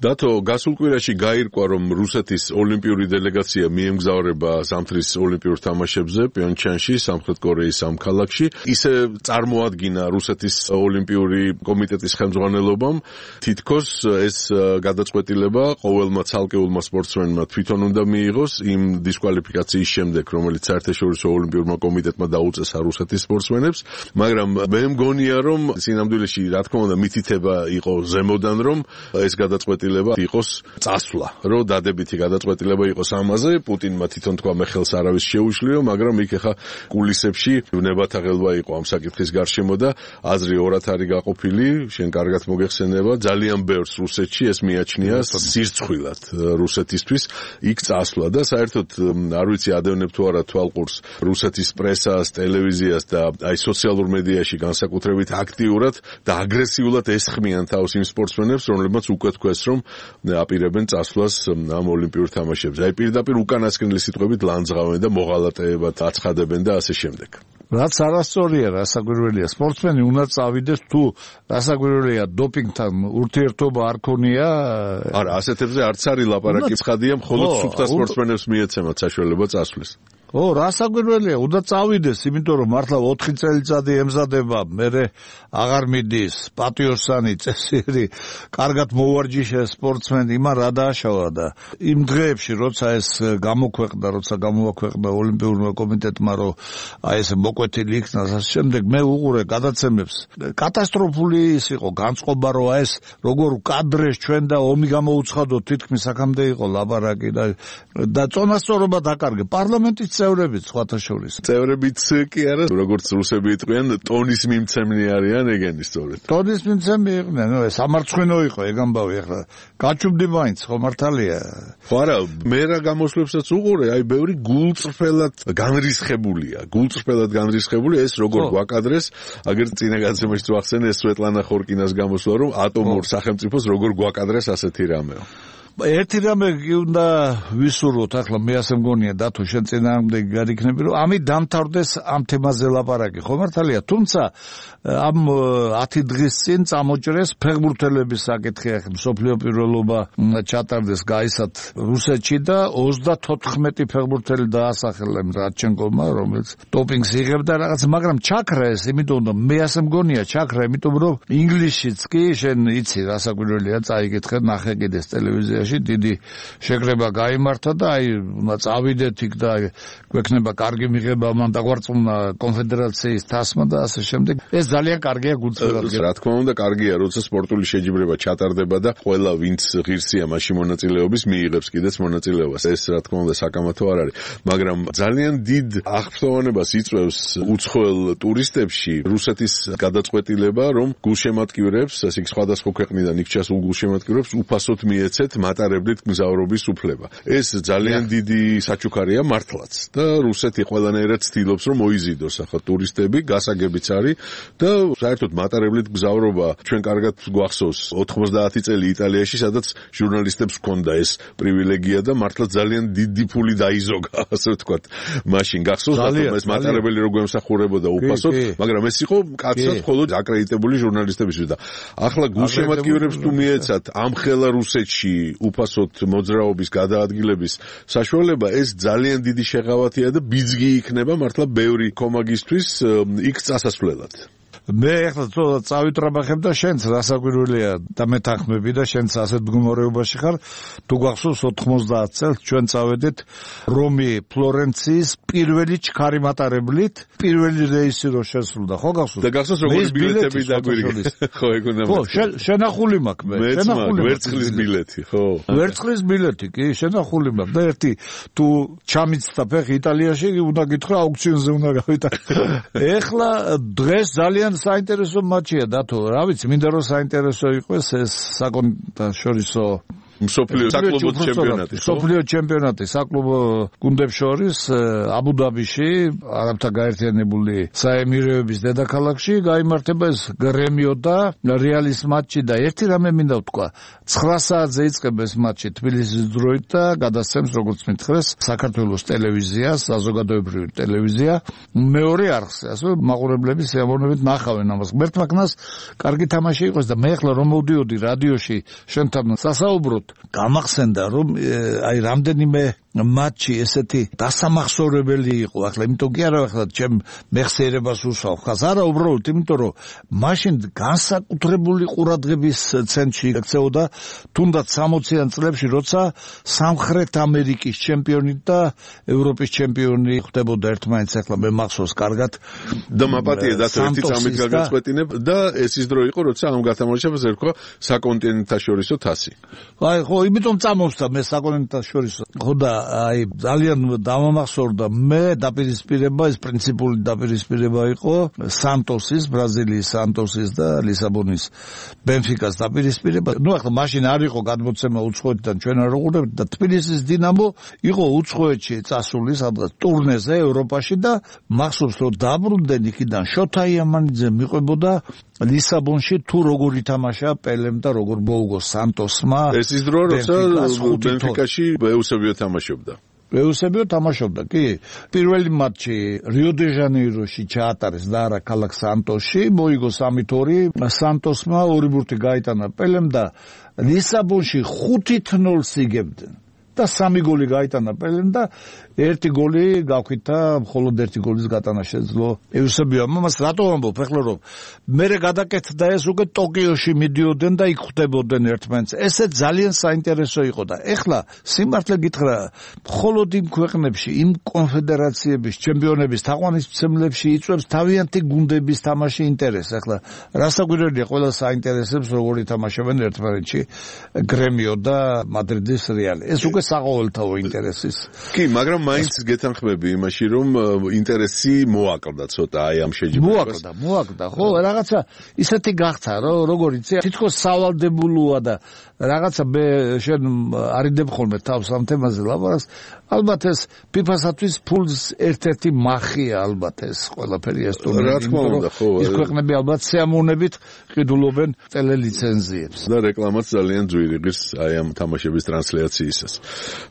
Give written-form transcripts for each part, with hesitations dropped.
დათო, გასულ კვირაში გაირკვა, რომ რუსეთის ოლიმპიური დელეგაცია მიემგზავრება ზამთრის ოლიმპიურ თამაშებზე პიონჩანში, სამხრეთ კორეის ამ ქალაქში. ისე წარმოადგინა რუსეთის ოლიმპიური კომიტეტის ხელმძღვანელობამ, თითქოს ეს გადაწყვეტილება ყოველმა ცალკეულმა სპორტსმენმა თვითონ უნდა მიიღოს იმ დისკვალიფიკაციის შემდეგ, რომელიც საერთაშორისო ოლიმპიურმა კომიტეტმა დაუწესა რუსეთის სპორტსმენებს, მაგრამ მე მგონია, რომ სინამდვილეში, რა თქმა უნდა, მითითება იყო ზემოდან, რომ ეს გადაწყვეტილება იყოს წასვლა, რომ დადებითი გადაწყვეტილება იყოს ამაზე, პუტინმა თვითონ თქვა მე ხელს არავის შეუშლიო, მაგრამ იქ ახლა კულისებში ნებათაღელვა იყო ამ საკითხის გარშემო და აზრი ორად არის გაყოფილი, შენ კარგად მოგეხსენება, ძალიან ბევრს რუსეთში ეს მიაჩნია სირცხვილად რუსეთისთვის იქ წასვლა და საერთოდ არ ვიცი ადევნებ თუ არა თვალყურს რუსეთის პრესას, ტელევიზიას და აი სოციალურ მედიაში განსაკუთრებით აქტიურად და აგრესიულად ესხმიან თავს იმ სპორტსმენებს, რომლებმაც უკვე თქვეს, რომ აპირებენ წასვლას ამ ოლიმპიურ თამაშებზე. აი პირდაპირ უკანასკნელი სიტყვებით ლანძღავენ და მოღალატეებად აცხადებენ და ასე შემდეგ. რაც არასწორია, რასაკვირველია, სპორტსმენი უნდა წავიდეს თუ რასაკვირველია დოპინგთან ურთიერთობა არ ქონია. არა, ასეთებზე არც არის ლაპარაკი, ცხადია, მხოლოდ სუფთა სპორტსმენებს მიეცემათ საშუალება წასვლის. რასაკვირველია, უნდა წავიდეს, იმიტომ რომ მართლა 4 წელიწადი ემზადება, მერე აღარ მიდის, პატიოსანი, წესიერი, კარგად მოვარჯიშე სპორტსმენი, იმან რა დააშავა და იმ დღეებში, როცა ეს გამოაქვეყნა ოლიმპიურმა კომიტეტმა, რომ აი ეს მოკვეთილი იქნა, ასე შემდეგ, მე უყურე გადაცემებს. კატასტროფული ის იყო განწყობა, რომ აი ეს როგორ კადრეს ჩვენ და ომი გამოუცხადოთ, თითქმის აქამდე იყო ლაპარაკი და წონასწორობა დაკარგე. პარლამენტის წევრებიც სხვათა შორის. წევრებიც კი არა, როგორც რუსები იტყვიან, ტონის მიმცემნი არიან ეგენი სწორედ. ტონის მიმცემნი იყვნენ, ეს სამარცხვინო იყო ეგ ამბავი ახლა. გაჩუბდი მაინც, ხო მართალია. ხო არა, მე რა გამოსვლებსაც უყურე, აი ბევრი გულწრფელად განრისხებულია, ეს როგორ გვაკადრეს, აგერ წინა გადაცემაში ვახსენე ეს სვეტლანა ხორკინას გამოსვლა, რომ ატომურ სახელმწიფოს როგორ გვაკადრეს ასეთი რამეო. ერთი რამე უნდა ვისურვოთ, ახლა მე ასე მგონია დათო შენ წინააღმდეგი გარიქნები, რომ ამით დამთავრდეს ამ თემაზე ლაპარაკი, ხო მართალია, თუმცა ამ 10 დღის წინ წამოჭრეს ფეხბურთელების საკითხი, ახლა მსოფლიო პირველობა ჩატარდეს გაისად რუსეთში და 34 ფეხბურთელი დაასახელეს რადჩენკოვმა, რომელიც დოპინგს იღებდა რაღაც, მაგრამ ჩაქრა ეს, იმიტომ რომ მე ასე მგონია ჩაქრა, იმიტომ რომ ინგლისშიც კი შენ იცი რასაკვირველია, წაიკითხე, ნახე კიდეს ტელევიზიაში დიდი შეკრება გაიმართა და აი წავიდეთ იქ და გვექნება კარგი მიღება მან დაგვარწმუნა კონფედერაციის თასმა და ასე შემდეგ. ეს ძალიან კარგია გულწრფელად. რა თქმა უნდა, კარგია, როცა სპორტული შეჯიბრება ჩატარდება და ყველა ვინც ღირსია მასში მონაწილეობის მიიღებს კიდეც მონაწილეობას. ეს რა თქმა უნდა საკამათო არ არის, მაგრამ ძალიან დიდ აღფრთოვანებას იწვევს უცხოელ ტურისტებში რუსეთის გადაწყვეტილება, რომ გულშემატკივრებს, ასე სხვადასხვა ქვეყნიდან იქ ჩასულ გულშემატკივრებს უფასოდ მიეცეთ მატარებლით მგზავრობის უფლება. ეს ძალიან დიდი საჩუქარია მართლაც და რუსეთი ყველანაირად ცდილობს, რომ მოიზიდოს ახლა ტურისტები, გასაგებიც არის და საერთოდ მატარებლით მგზავრობა ჩვენ კარგად გვახსოვს 90 წელი იტალიაში, სადაც ჟურნალისტებს ჰქონდა ეს პრივილეგია და მართლა ძალიან დიდი ფული დაიზოგა, ასე ვთქვათ. მაშინ გახსოვს რომ ეს მატარებელი როგორ ემსახურებოდა უფასოდ, მაგრამ ეს იყო კაცად მხოლოდ აკრედიტებული ჟურნალისტებისთვის და ახლა გულშემატკივრებს თუ მიეცათ ამხელა რუსეთში უფასოდ მოძრაობის გადაადგილების საშუალება, ეს ძალიან დიდი შეღავათია და ბიძგი იქნება მართლა ბევრი კომაგისთვის იქ წასასვლელად. მე ახლა წავიტრაბახებ და შენც რასაკვირველია და მეთანხმები და შენც ასეთ მდგომარეობაში ხარ, თუ გახსოვს 90 წელს ჩვენ წავედით რომი ფლორენციის პირველი ჩქარი მატარებლით, პირველი რეისი რო შესრულდა, ხო გახსოვს? და გახსოვს როგორი ბილეთები დაგვირიგეს. ხო, ეგ უნდა. ხო, შენახული მაქვს მე. ვერცხლის ბილეთი, ხო. ვერცხლის ბილეთი, კი, შენახული მაქვს და ერთი თუ ჩამიცდა ფეხი იტალიაში, უნდა გითხრა აუქციონზე უნდა გავიტანო. ეხლა დღეს ძალიან საინტერესო მატჩია დათო, რა ვიცი, მინდა რომ საინტერესო იყოს ეს საკონტაშორისო მსოფლიო საკლუბო ჩემპიონატი. მსოფლიო ჩემპიონატი საკლუბო გუნდებს შორის აბუ-დაბიში, არაბთა გაერთიანებული საემიროების დედაქალაქში გაიმართება ეს გრემიო და რეალის მატჩი და ერთი რამე მინდა ვთქვა. 9 საათზე იწყება ეს მატჩი თბილისის დროით და გადასცემს როგორც მითხრეს საქართველოს ტელევიზიას, საზოგადოებრივი ტელევიზია, მეორე არხზე, ასე მაყურებლების სიამოვნებით ნახავენ ამას. ღმერთმაგნას კარგი თამაში იყოს და მე ახლა რომ მოვდიოდი რადიოში შენთან სასაუბროთ, გამახსენდა რომ აი რამდენიმე მატჩი ესეთი დასამახსოვრებელი იყო. ახლა იმიტომ კი არა ახლა ჩემ მეხსიერებას უსვავ ხას, არა უბრალოდ იმიტომ რომ მაშინ განსაკუთრებული ყურადღების ცენტრში იქცეოდა თუნდაც 60-იან წლებში, როცა სამხრეთ ამერიკის ჩემპიონი და ევროპის ჩემპიონი ხდებოდა ერთმანეთს. ახლა მე მახსოვს კარგად და მაპატია და ერთი წამით გაგაწყვეტინებ და ეს ის დრო იყო, როცა ამ გათამაშებას ერქვა საკონტინენტთაშორისო თასი. აი ხო, იმიტომ წამოვსდა მე საკონტინენტთაშორისო. ხო და აი ძალიან დამამახსოვრდა მე დაპირისპირება, ეს პრინციპული დაპირისპირება იყო სანტოსის, ბრაზილიის სანტოსის და ლისაბონის ბენფიკას დაპირისპირება. ნუ ახლა მაშინ არ იყო გადმოცემა უცხოეთიდან ჩვენ არ ვუყურებთ და თბილისის დინამო იყო უცხოეთში წასული სადღაც ტურნეზე ევროპაში და მახსოვს რომ დაბრუნდნენ იქიდან შოთა იამანიძე მიყვებოდა ლისაბონში თუ როგორ ითამაშა პელემ და როგორ მოუგო სანტოსმა. ეს ის დრო როცა ბენფიკაში ეუსებიო თამაშობდა. ეუსებიო თამაშობდა, კი. პირველი მატჩი რიო-დე-ჟანეიროში ჩაატარეს და არა ქალაქ სანტოსში, მოიგო 3-2, სანტოსმა 2 ბურთი გაიტანა პელემ და ლისაბონში 5-0 იგებდნენ. და 3 გოლი გაიტანა პელემ და 1 გოლი გავქითა, მხოლოდ 1 გოლის გატანა შეძლო ეუსებიომ. მას რატო ვამბობ ახლა რომ მერე გადაკეთდა ეს უკვე ტოკიოში მიდიოდნენ და იქ ხვდებოდნენ ერთმანეთს. ესე ძალიან საინტერესო იყო და ეხლა სიმართლე გითხრა, მხოლოდ იმ ქვეყნებში, იმ კონფედერაციების ჩემპიონების თაყვანისმცემლებში იწვევს თავიანთი გუნდების თამაში ინტერესს. ახლა რასაკვირველია, ყველა საინტერესებს როგორ ითამაშებენ ერთმანეთში გრემიო და მადრიდის რეალი. ეს უკვე საყოველთაო ინტერესის. კი, მაგრამ მაინც გეთანხმები იმაში, რომ ინტერესი მოაკლდა ცოტა აი ამ შეჯიბრებას. მოაკლდა, ხო, რაღაცა ისეთი გახდა, რომ როგორ იცი, თითქოს სავალდებულოა და რაღაცა მე შენ არიდებ ხოლმე თავს ამ თემაზე ლაპარაკს. ალბათ ეს FIFA-სათვის ფულს ერთ-ერთი მახია ალბათ ეს ყველაფერი ეს ტურნირი. რა თქმა უნდა, ხო. ის ქვეყნები ალბათ სიამოვნებით ყიდულობენ ტელელიცენზიებს. და რეკლამაც ძალიან ძვირი ღირს აი ამ თამაშების ტრანსლაციისას.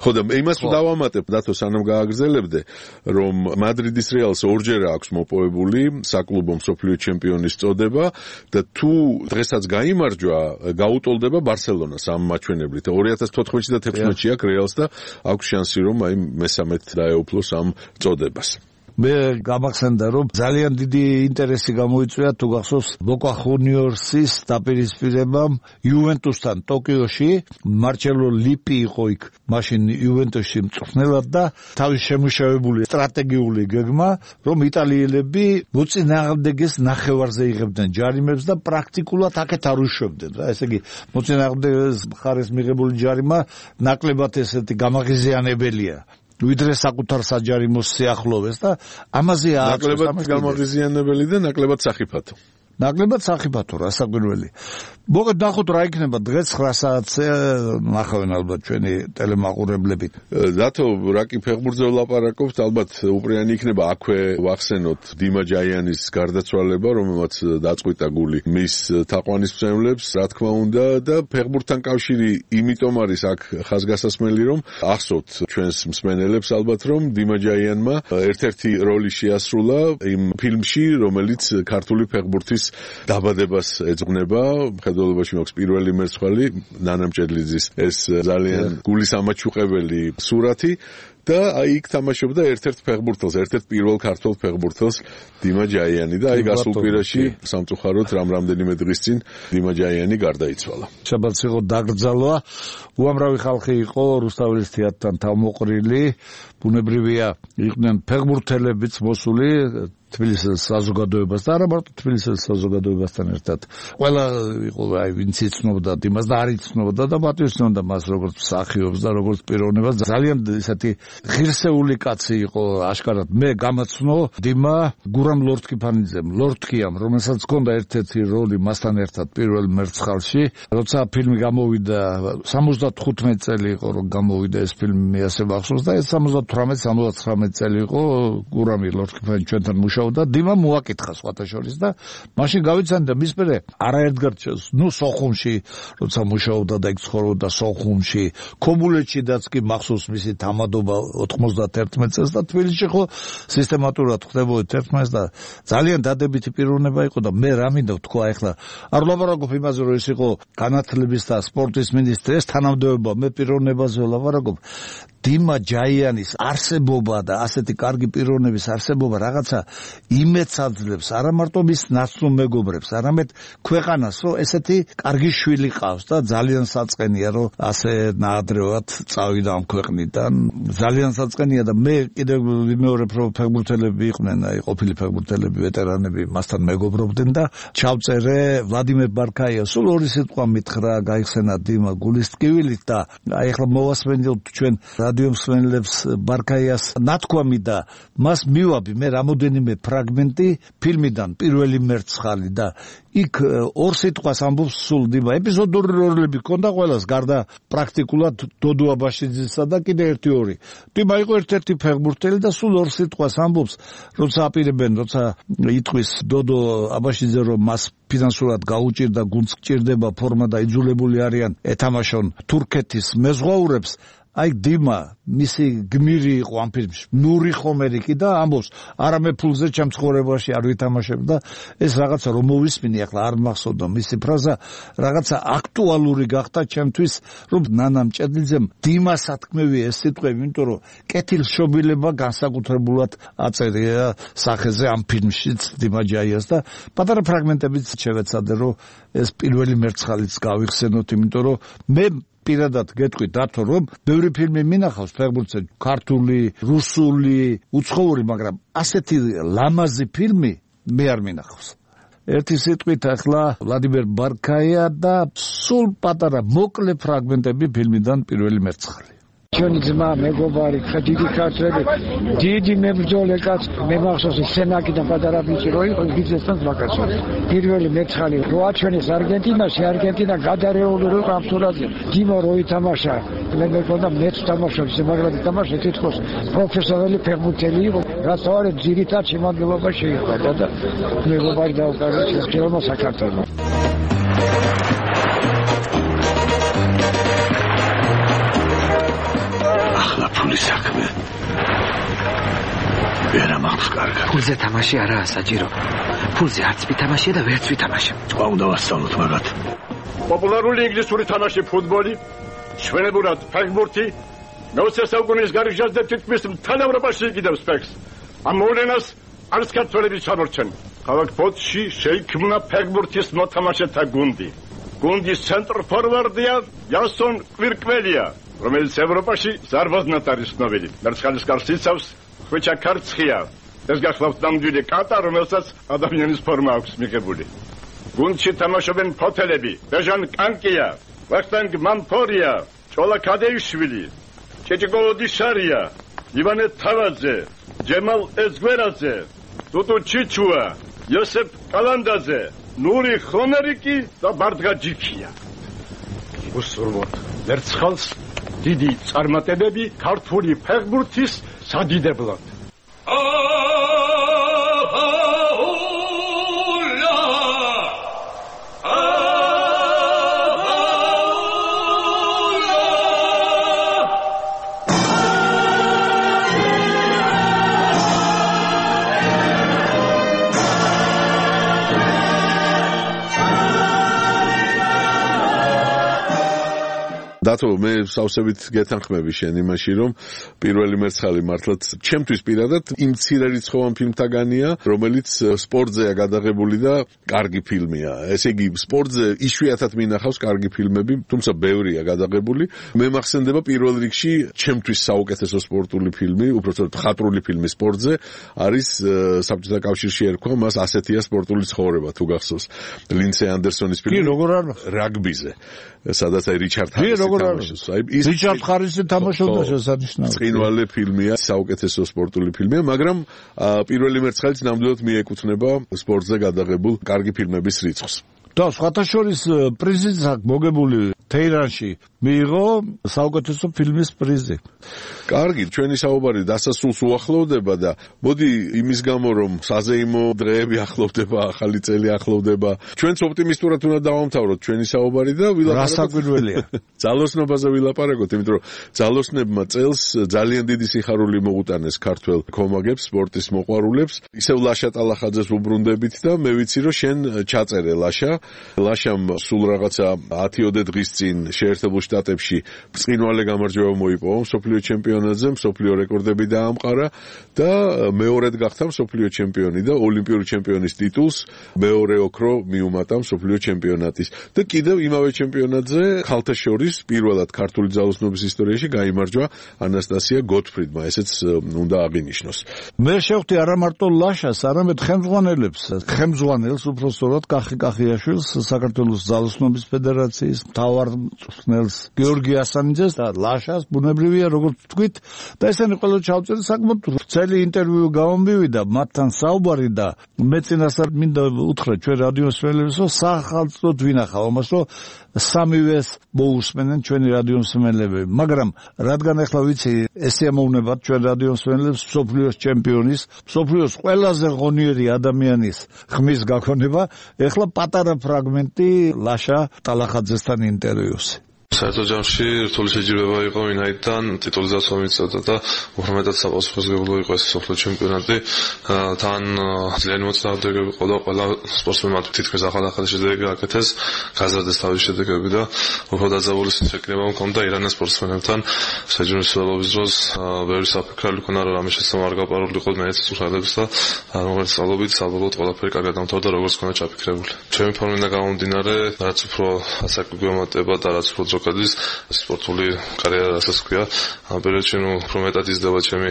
ხო და იმას დავამატებ დათო სანამ გააგრძელებდე, რომ მადრიდის რეალს ორჯერ აქვს მოპოვებული საკლუბო მსოფლიო ჩემპიონის წოდება და თუ დღესაც გაიმარჯვა, გაუტოლდება ბარსელონას ამ მაჩვენებლით. 2014-ში და 2016-ში აქვს რეალს და აქვს შანსი რომ აი მესამედ დაეუფლოს ამ წოდებას. მე გამახსენდა რომ ძალიან დიდი ინტერესი გამოიწვია თუ გახსოვს ბოკა ხუნიორსის დაპირისპირებამ იუვენტუსთან ტოკიოში. მარჩელო ლიპი იყო იქ მაშინ იუვენტუსში მწვრთნელად და თავის შემუშავებული სტრატეგიული გეგმა რომ იტალიელები მოწინააღმდეგეს ნახევარზე იღებდნენ ჯარიმებს და პრაქტიკულად აქეთ არ უშვებდნენ რა. ესე იგი მოწინააღმდეგეს მხარეს მიღებული ჯარიმა ნაკლებად ესეთი გამაღიზიანებელია ვიდრე საკუთარ საჯარიმოს სიახლოვეს და ამაზე ნაკლებად გამაღიზიანებელი და ნაკლებად სახიფათო. ნაკლებად სახიფათო რასაკვირველი. მოგეთ ნახოთ რა იქნება დღეს 9 საათზე ნახავენ ალბათ ჩვენი ტელემაყურებლები. დათო რაკი ფეხბურთზე ვლაპარაკობთ, ალბათ უპრიანი იქნება აქვე ვახსენოთ დიმა ჯაიანის გარდაცვალება, რომელმაც დაწყვიტა გული მის თაყვანისმცემლებს, რა თქმა უნდა და ფეხბურთთან კავშირი იმიტომ არის აქ ხაზგასასმელი, რომ ახსოვთ ჩვენს მსმენელებს ალბათ რომ დიმა ჯაიანმა ერთ-ერთი როლი შეასრულა იმ ფილმში, რომელიც ქართული ფეხბურთის დაბადებას ეძღვნება. მხედველობაში მაქვს პირველი მერცხალი ნანა მჭედლიძის ეს ძალიან გულის ამაჩუყებელი სურათი და აი იქ თამაშობდა ერთ-ერთ ფეხბურთელს, ერთ-ერთ პირველ ქართულ ფეხბურთელს დიმა ჯაიანი და აი გასულ კვირაში სამწუხაროდ რამდენიმე დღის წინ დიმა ჯაიანი გარდაიცვალა. შაბათს იყო დაკრძალვა. უამრავი ხალხი იყო რუსთაველის თეატრთან თავმოყრილი. ბუნებრივია იყვნენ ფეხბურთელებიც მოსული თბილისის საზოგადოებას და არა მარტო თბილისის საზოგადოებასთან ერთად. ყველა იყო ვინც იცნობდა იმას და არ იცნობდა და პატივისცემდა მას როგორც მსახიობს და როგორც პიროვნებას. ძალიან ესეთი ღირსეული კაცი იყო აშკარად. მე გამაცნო დიმა გურამ ლორთქიფანიძემ, ლორთქიამ, რომელსაც ჰქონდა ერთ-ერთი როლი მასთან ერთად პირველ მერცხალში. როცა ფილმი გამოვიდა 75 წელი იყო რომ გამოვიდა ეს ფილმი, მე ასე მახსოვს და ეს 78-79 წელი იყო გურამი ლორთქიფანი ჩვენთან მუშაობდა. დიმა მოაკითხა სხვათა შორის და მაშინ გავიცანი და მის მერე არაერთგარ სოხუმში როცა მუშაობდა და იქ ცხოვრობდა სოხუმში, ქობულეთშიდაც კი მახსოვს მისი თამადობა 91 წელს და თბილისში ხო სისტემატურად ხდებოდა 11 და ძალიან დადებითი პიროვნება იყო და მე რა მინდა თქვა ახლა არ ვლაპარაკობ იმაზე რომ ის იყო განათლების და სპორტის მინისტრი, ეს თანამდებობა, მე პიროვნებაზე ვლაპარაკობ. დიმა ჯაიანის არსებობა და ასეთი კარგი პიროვნების არსებობა რაღაცა იმედს აძლევს არა მარტო მის ნაცნობ მეგობრებს, არამედ ქვეყანას, რომ ესეთი კარგი შვილი ყავს და ძალიან საწყენია, რომ ასე ნაადრევად წავიდა ამ ქვეყნიდან. ძალიან საწყენია და მე კიდევ ვიმეორებ, რომ ფეხბურთელები იყვნენ, ყოფილი ფეხბურთელები, ვეტერანები მასთან მეგობრობდნენ და ჩავწერე ვლადიმერ ბარკაიას. სულ ორი სიტყვა მითხრა, გაიხსენა დიმა გულის ტკივილით და ახლა მოვასმენდით ჩვენ რადიო მსმენელებს ბარკაიას ნათქვამი და მას მივაბი მე რამოდენიმე ფრაგმენტი ფილმიდან პირველი მერცხალი და იქ ორ სიტყვას ამბობს სულ დიმა. ეპიზოდური როლები ჰქონდა ყველას, გარდა პრაქტიკულად დოდო აბაშიძისა და კიდე ერთი. დიმა იყო ერთ-ერთი ფეხბურთელი და სულ ორ სიტყვას ამბობს, როცა აპირებენ, როცა იტყვის დოდო აბაშიძე, რომ მას ფინანსურად გაუჭირდა, გუნდს გჭირდება ფორმა და იძულებული არიან ეთამაშონ თურქეთის მეზღვაურებს. აი დიმა მისი გმირი იყო ამ ფილმში, ნური ხომერიკი და ამბობს არამე ფულზე ჩემ ცხოვრებაში არ ვითამაშებ და ეს რაღაცა რომ მოვისმინე ახლა არ მახსოვდა მისი ფრაზა რაღაცა აქტუალური გახდა ჩემთვის რომ ნანამ ჭედლიძემ დიმას სათქმევია ეს სიტყვები, იმიტომ რომ კეთილშობილება განსაკუთრებულად აწერია სახეზე ამ ფილმშიც დიმა ჯაიას და პატარა ფრაგმენტებიც შევეცადე რომ ეს პირველი მერცხალიც გავიხსენოთ, იმიტომ რომ მე პირადად გეტყვით დათო რომ ბევრი ფილმი მინახავს ფეხბურთზე, ქართული, რუსული, უცხოური, მაგრამ ასეთი ლამაზი ფილმი მე არ მინახავს. ერთი სიტყვით ახლა ვლადიმერ ბარკაია და სულ პატარა მოკლე ფრაგმენტები ფილმიდან პირველი მერცხალი. ჩვენი ძმა, მეგობარი, დიდი ქართველი, დიდი მებრძოლე კაცი, მე მახსოვს სენაკიდან პატარა ბიჭი რო იყო, ბიზნესთან ვაკაცო. პირველი მერცხალი რო აჩვენეს არგენტინაში, არგენტინა გადარეული რო იყო ამ თურაზე. დიმა რო ითამაშა, მე მეკონა მეც თამაშობს, მაგრამ ითამაშა თითქოს პროფესიონალი ფეხბურთელი იყო. რაც არის ძირითად შემადგენლობა შეიყვება და მეგობარი დაუკარგა ჩემო საქართველოს. ფულის საქმე ვერა მაქვს კარგად. ფულზე თამაში არაა საჭირო. ფულზე არც ვითამაშია და ვერც ვითამაშე. თქვა უნდა ვასწავლოთ მაგათ. პოპულარული ინგლისური თამაში ფუტბოლი, ჩვენებურად ფეხბურთი, მე-20 საუკუნის გარიგჟაზე თითქმის მთელ ევროპაში იკიდებს ფეხს. ამ მოვლენას არც ქართველები ჩამორჩენ. ქალაქ ბოთში შეიქმნა ფეხბურთის მოთამაშეთა გუნდი. გუნდის ცენტრ-ფორვარდია იასონ კვირკველია, რომელიც ევროპაში ზარბაზნად არის ცნობილი. მერცხალის კარს იცავს ხვიჩა ქარცხია. ეს გახლავთ ნამდვილი კატა, რომელსაც ადამიანის ფორმა აქვს მიღებული. გუნდში თამაშობენ ფოთელები, ბეჟან კანკია, ვახტანგ მამფორია, ჭოლა ქადეიშვილი, ჭეჭიკო ოდიშარია, ივანე თავაძე, ჯემალ ეზგვერაძე, დუდუ ჩიჩუა, იოსებ კალანდაძე, ნური ხომერიკი და ბარდგა ჯიქია. უსურვოთ მერცხალს დიდი წარმატებები ქართული ფეხბურთის სადიდებლად. დათო, მე სავსებით გეთანხმები შენ იმაში, რომ პირველი მერცხალი მართლაც ჩემთვის პირადად იმ მცირერიცხოვან ფილმთაგანია, რომელიც სპორტზეა გადაღებული და კარგი ფილმია. ესე იგი, სპორტზე იშვიათად მინახავს კარგი ფილმები, თუმცა ბევრია გადაღებული. მე მახსენდება პირველ რიგში ჩემთვის საუკეთესო სპორტული ფილმი, უბრალოდ მხატვრული ფილმი სპორტზე არის საბჭოთა კავშირში ერქვა მას ასეთია სპორტული ცხოვრება თუ გახსოვს. ლინდსეი ანდერსონის ფილმი რაგბიზე. სადაც აი რიჩარდ თამაშობს. რიჩარდ ხარისი თამაშობდა შესანიშნავად. ცხინვალე ფილმია, საუკეთესო სპორტული ფილმია, მაგრამ პირველი მერცხალიც ნამდვილად მიეკუთვნება სპორტზე გადაღებულ კარგი ფილმების რიცხვს. და სხვათა შორის პრიზიც აქვს მოგებული თეირანში მიიღო საუკეთესო ფილმის პრიზი. კარგი, ჩვენი საუბარი დასასრულს უახლოვდება და მოდი იმის გამო რომ საზეიმო დღეები ახლოვდება, ახალი წელი ახლოვდება, ჩვენც ოპტიმისტურად უნდა დავამთავროთ ჩვენი საუბარი და ვილაპარაკოთ. რასაკვირველია. ძალოსნობაზე ვილაპარაკოთ, იმიტომ რომ ძალოსნებმა წელს ძალიან დიდი სიხარული მოუტანეს ქართველ კომაგებს, სპორტის მოყვარულებს. ისევ ლაშა ტალახაძეს უბრუნდებით და მე ვიცი რომ შენ ჩაწერე ლაშა. ლაშამ სულ რაღაცა 10-ოდე დღის წინ შეერთებულ შტატებში ბრწყინვალე გამარჯვება მოიპოვა მსოფლიო ჩემპიონატზე, მსოფლიო რეკორდები დაამყარა და მეორედ გახდა მსოფლიო ჩემპიონი და ოლიმპიური ჩემპიონის ტიტულს მეორე ოქრო მიუმატა მსოფლიო ჩემპიონატის. და კიდევ იმავე ჩემპიონატზე ხალხთა შორის პირველად ქართული ძალოსნობის ისტორიაში გაიმარჯვა ანასტასია გოტფრიდმა, ესეც უნდა აღინიშნოს. მე შევხვდი არა მარტო ლაშას, არამედ ხელმძღვანელს უბრალოდ კახი კახიაშვილს, საქართველოს ძალოსნობის ფედერაციის მთავარ მწვრთნელს გიორგი ასანიძეს და ლაშას ბუნებრივია როგორც თქვით და ესენი ყველა ჩავწერე საკმაოდ ვრცელი ინტერვიუ გამომივიდა მათთან საუბარი და მე წინასწარ მინდა უთხრა ჩვენ რადიოს მსმენელებსო სახალხოდ ვინახავ ამას რომ სამივეს მოусმენენ ჩვენი რადიოს მსმენელები, მაგრამ რადგან ახლა ვიცი ესე ამოვნებათ ჩვენ რადიოს მსმენელებს მსოფლიოს ჩემპიონის, მსოფლიოს ყველაზე ღონიერი ადამიანის ხმის გაქონება, ახლა პატარა ფრაგმენტი ლაშა ტალახაძესთან ინტერვიუზე. საერთო ჯამში რთული შეჯიბრება იყო ვინაიდან ტიტულის დაცვა მიწევდა და უფრო მეტად საპასუხისმგებლო იყო ეს მსოფლიო ჩემპიონატი. თან ძალიან მოწინააღმდეგე იყო და ყველა სპორტსმენმა თითქმის ახალ შედეგები აკეთეს, გაზარდეს თავის შედეგები და უფრო დაძაბული შექმნება მქონდა ირანის სპორტსმენებთან. შეჯიბრების დროს ბევრი საფიქრალი ქონა რომ ამის შესაძლოა არ გაპარულიყო მეცის უხალებს და როგორც სწავლობით საბოლოოდ ყველაფერი კარგად დამთავრდა როგორც ქონა ჩაფიქრებული. ჩემი ფორმიდან გამომდინარე, რაც უფრო ასაკი მომატება და რაც უფრო გადის სპორტული კარიერა რასაც ქვია, ამ პერიოდში უფრო მეტად იზრდება ჩემი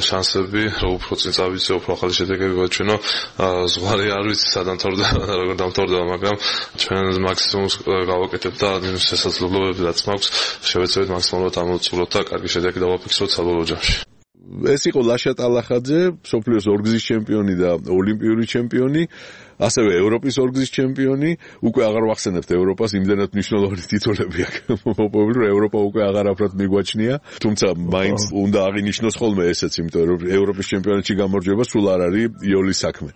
შანსები, რომ უფრო წინ წავიდე, უფრო ახალი შედეგები ვაჩვენო. ზღვარი არ ვიცი სადამთავრდა და როგორ დამთავრდება, მაგრამ ჩვენ მაქსიმუმს გავაკეთებ და იმის შესაძლებლობები რაც მაქვს, შევეცდებით მაქსიმალურად ამოვწუროთ და კარგი შედეგი დავაფიქსროთ საბოლოო ჯამში. ეს იყო ლაშა ტალახაძე, მსოფლიოს ორგზის ჩემპიონი და ოლიმპიური ჩემპიონი. ასევე ევროპის ორგზის ჩემპიონი, უკვე აღარ ვახსენებთ ევროპას, იმდენად მნიშვნელოვანი ტიტულები აქვს მოპოვებული, რომ ევროპა უკვე აღარ აფრად მიგვაჩნია, თუმცა მაინც უნდა აღინიშნოს ხოლმე ესეც, იმიტომ რომ ევროპის ჩემპიონატში გამარჯვება სულ არ არის იოლის საქმე.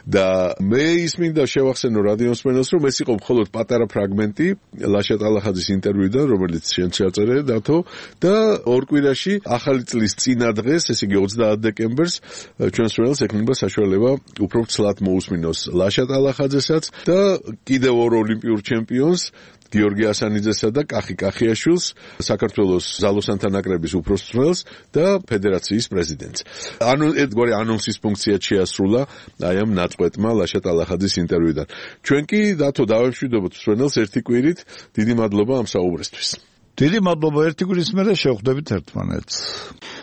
და მე ის მინდა შევახსენო რადიოს მსმენელს, რომ ეს იყო მხოლოდ პატარა ფრაგმენტი ლაშა ტალახაძის ინტერვიუდან, რომელიც შენ შეაწერე დათო, და ორ კვირაში ახალი წლის წინა დღეს, ესე იგი 30 დეკემბერს, ჩვენს მსმენელს ექნება საშუალება უფრო ცლად მოусმინოს ლაშა ტალახაძესაც და კიდევ ორ ოლიმპიურ ჩემპიონს გიორგი ასანიძესა და კახი კახიაშვილს, საქართველოს ძალოსანთა ნაკრების უფროს მწვრთნელს და ფედერაციის პრეზიდენტს. ერთგვარი ანონსის ფუნქციად შეასრულა აი ამ ნაწყვეტმა ლაშა ტალახაძის ინტერვიუდან. ჩვენ კი დათო დავემშვიდობოთ მსმენელს ერთი კვირით. დიდი მადლობა ამ საუბრისთვის. დიდი მადლობა, ერთი კვირის მერე შევხვდებით ერთმანეთს.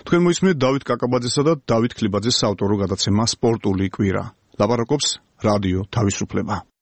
თქვენ მოისმინეთ დავით კაკაბაძესა და დავით ქლიბაძეს საავტორო გადაცემა სპორტული კვირა. ლაპარაკობს რადიო თავისუფლება.